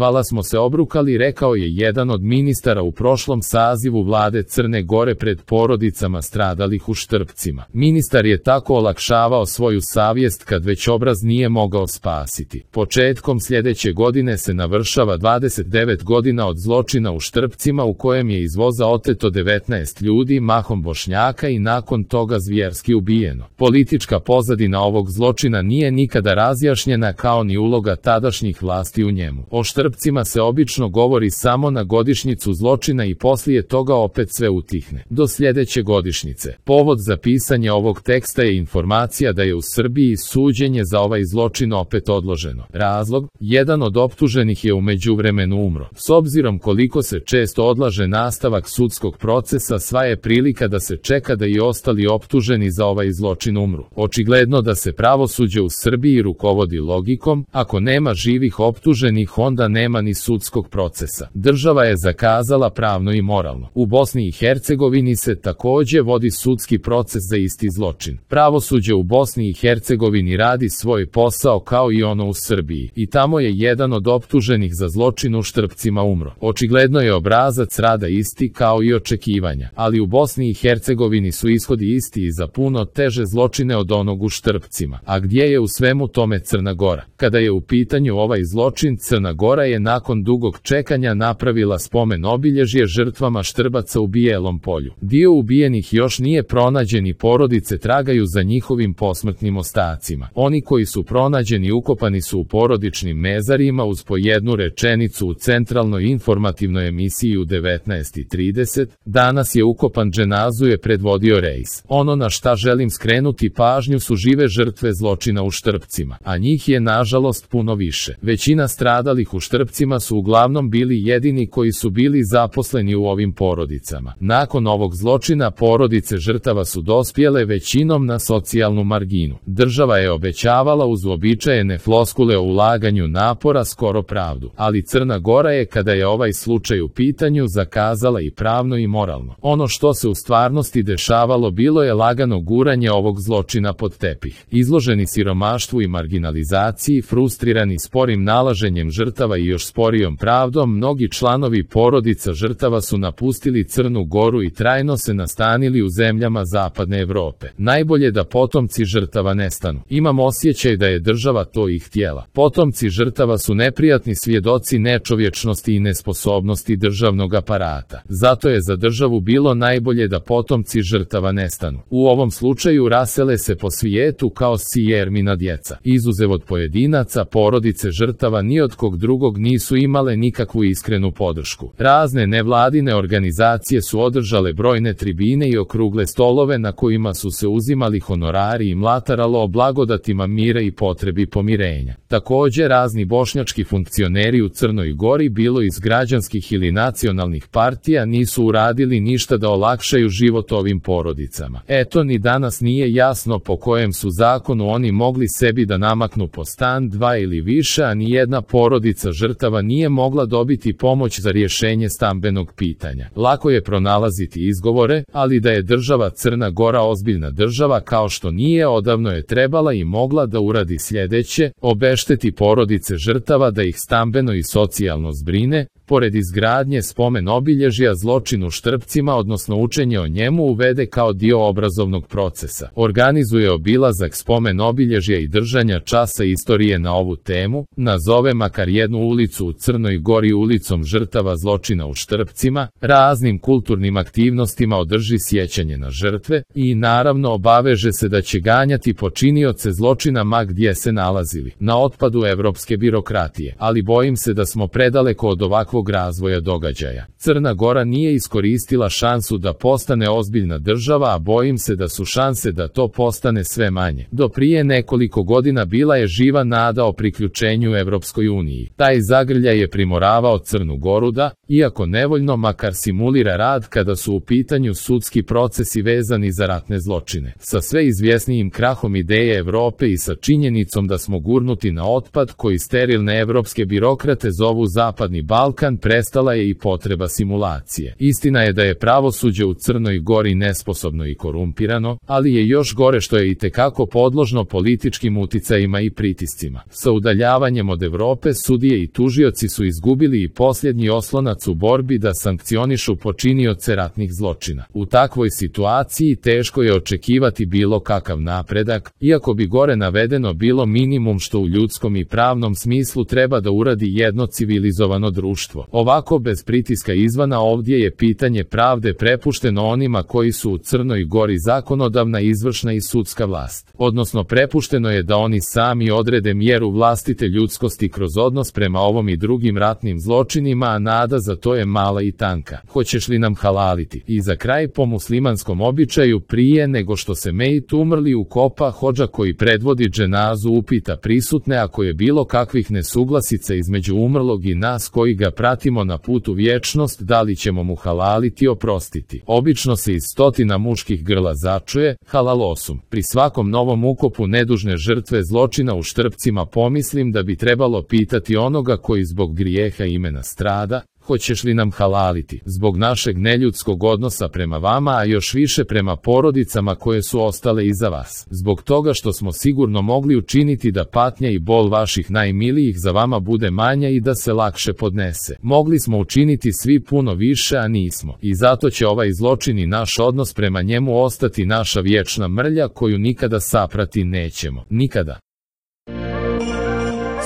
Vala smo se obrukali, rekao je jedan od ministara u prošlom sazivu vlade Crne Gore pred porodicama stradalih u Štrpcima. Ministar je tako olakšavao svoju savjest kad već obraz nije mogao spasiti. Početkom sljedeće godine se navršava 29 godina od zločina u Štrpcima u kojem je iz voza oteto 19 ljudi, mahom Bošnjaka, i nakon toga zvjerski ubijeno. Politička pozadina ovog zločina nije nikada razjašnjena, kao ni uloga tadašnjih vlasti u njemu. O Štrpcima se obično govori samo na godišnjicu zločina i poslije toga opet sve utihne. Do sljedeće godišnjice. Povod za pisanje ovog teksta je informacija da je u Srbiji suđenje za ovaj zločin opet odloženo. Razlog? Jedan od optuženih je u međuvremenu umro. S obzirom koliko se često odlaže nastavak sudskog procesa, sva je prilika da se čeka da i ostali optuženi za ovaj zločin umru. Očigledno da se pravosuđe u Srbiji rukovodi logikom: ako nema živih optuženih, onda nema ni sudskog procesa. Država je zakazala pravno i moralno. U Bosni i Hercegovini se također vodi sudski proces za isti zločin. Pravosuđe u Bosni i Hercegovini radi svoj posao kao i ono u Srbiji. I tamo je jedan od optuženih za zločin u Štrpcima umro. Očigledno je obrazac rada isti kao i očekivanja. Ali u Bosni i Hercegovini su ishodi isti i za puno teže zločine od onog u Štrpcima. A gdje je u svemu tome Crna Gora? Kada je u pitanju ovaj zločin, Crna Gora je nakon dugog čekanja napravila spomen obilježje žrtvama Štrbaca u Bijelom Polju. Dio ubijenih još nije pronađen i porodice tragaju za njihovim posmrtnim ostacima. Oni koji su pronađeni ukopani su u porodičnim mezarima uz po jednu rečenicu u centralnoj informativnoj emisiji u 19:30. Danas je ukopan, dženazu je predvodio Rejs. Ono na šta želim skrenuti pažnju su žive žrtve zločina u Štrpcima, a njih je nažalost puno više. Većina stradalih u Štrpcima su uglavnom bili jedini koji su bili zaposleni u ovim porodicama. Nakon ovog zločina porodice žrtava su dospjele većinom na socijalnu marginu. Država je obećavala uz uobičajene floskule o ulaganju napora skoro pravdu, ali Crna Gora je, kada je ovaj slučaj u pitanju, zakazala i pravno i moralno. Ono što se u stvarnosti dešavalo bilo je lagano guranje ovog zločina pod tepih. Izloženi siromaštvu i marginalizaciji, frustrirani sporim nalaženjem žrtava i još sporijom pravdom, mnogi članovi porodica žrtava su napustili Crnu Goru i trajno se nastanili u zemljama zapadne Evrope. Najbolje da potomci žrtava nestanu. Imam osjećaj da je država to i htjela. Potomci žrtava su neprijatni svjedoci nečovječnosti i nesposobnosti državnog aparata. Zato je za državu bilo najbolje da potomci žrtava nestanu. U ovom slučaju rasele se po svijetu kao sijermina djeca. Izuzev od pojedinaca, porodice žrtava ni od kog drugog nisu imale nikakvu iskrenu podršku. Razne nevladine organizacije su održale brojne tribine i okrugle stolove na kojima su se uzimali honorari i mlataralo o blagodatima mira i potrebi pomirenja. Također razni bošnjački funkcioneri u Crnoj Gori, bilo iz građanskih ili nacionalnih partija, nisu uradili ništa da olakšaju život ovim porodicama. Eto, ni danas nije jasno po kojem su zakonu oni mogli sebi da namaknu po stan, dva ili više, a ni jedna porodica žrtava nije mogla dobiti pomoć za rješenje stambenog pitanja. Lako je pronalaziti izgovore, ali da je država Crna Gora ozbiljna država kao što nije, odavno je trebala i mogla da uradi sljedeće: obešteti porodice žrtava da ih stambeno i socijalno zbrine, pored izgradnje spomen obilježja zločinu Štrpcima, odnosno učenje o njemu uvede kao dio obrazovnog procesa. Organizuje obilazak spomen obilježja i držanja časa istorije na ovu temu, nazove makar jednu ulicu u Crnoj Gori ulicom žrtava zločina u Štrpcima, raznim kulturnim aktivnostima održi sjećanje na žrtve i naravno obaveže se da će ganjati počinioce zločina ma gdje se nalazili. Na otpadu evropske birokratije, ali bojim se da smo predaleko od ovakvog razvoja događaja. Crna Gora nije iskoristila šansu da postane ozbiljna država, a bojim se da su šanse da to postane sve manje. Do prije nekoliko godina bila je živa nada o priključenju Evropskoj uniji. Taj zagrljaj je primoravao Crnu Goru da, iako nevoljno makar simulira rad kada su u pitanju sudski procesi vezani za ratne zločine. Sa sve izvjesnijim krahom ideje Evrope i sa činjenicom da smo gurnuti na otpad koji sterilne evropske birokrate zovu Zapadni Balkan, prestala je i potreba simulacije. Istina je da je pravosuđe u Crnoj Gori nesposobno i korumpirano, ali je još gore što je itekako podložno političkim uticajima i pritiscima. Sa udaljavanjem od Evrope sudije i tužioci su izgubili i posljednji oslonac u borbi da sankcionišu počinioce ratnih zločina. U takvoj situaciji teško je očekivati bilo kakav napredak, iako bi gore navedeno bilo minimum što u ljudskom i pravnom smislu treba da uradi jedno civilizovano društvo. Ovako bez pritiska izvana ovdje je pitanje pravde prepušteno onima koji su u Crnoj Gori zakonodavna, izvršna i sudska vlast. Odnosno prepušteno je da oni sami odrede mjeru vlastite ljudskosti kroz odnos prema ovom i drugim ratnim zločinima, a nada za to je mala i tanka. Hoćeš li nam halaliti? I za kraj, po muslimanskom običaju, prije nego što se mejit umrli ukopa, hodža koji predvodi dženazu upita prisutne ako je bilo kakvih nesuglasica između umrlog i nas koji ga pratimo na putu vječnost, da li ćemo mu halaliti, oprostiti. Obično se iz stotina muških grla začuje halalosum. Pri svakom novom ukopu nedužne žrtve zločina u Štrpcima pomislim da bi trebalo pitati onoga koji zbog grijeha imena strada: hoćeš li nam halaliti? Zbog našeg neljudskog odnosa prema vama, a još više prema porodicama koje su ostale iza vas. Zbog toga što smo sigurno mogli učiniti da patnja i bol vaših najmilijih za vama bude manja i da se lakše podnese. Mogli smo učiniti svi puno više, a nismo. I zato će ovaj zločin i naš odnos prema njemu ostati naša vječna mrlja koju nikada saprati nećemo. Nikada.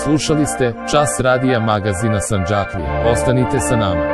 Slušali ste Čas radija magazina Sandžaklija. Ostanite sa nama.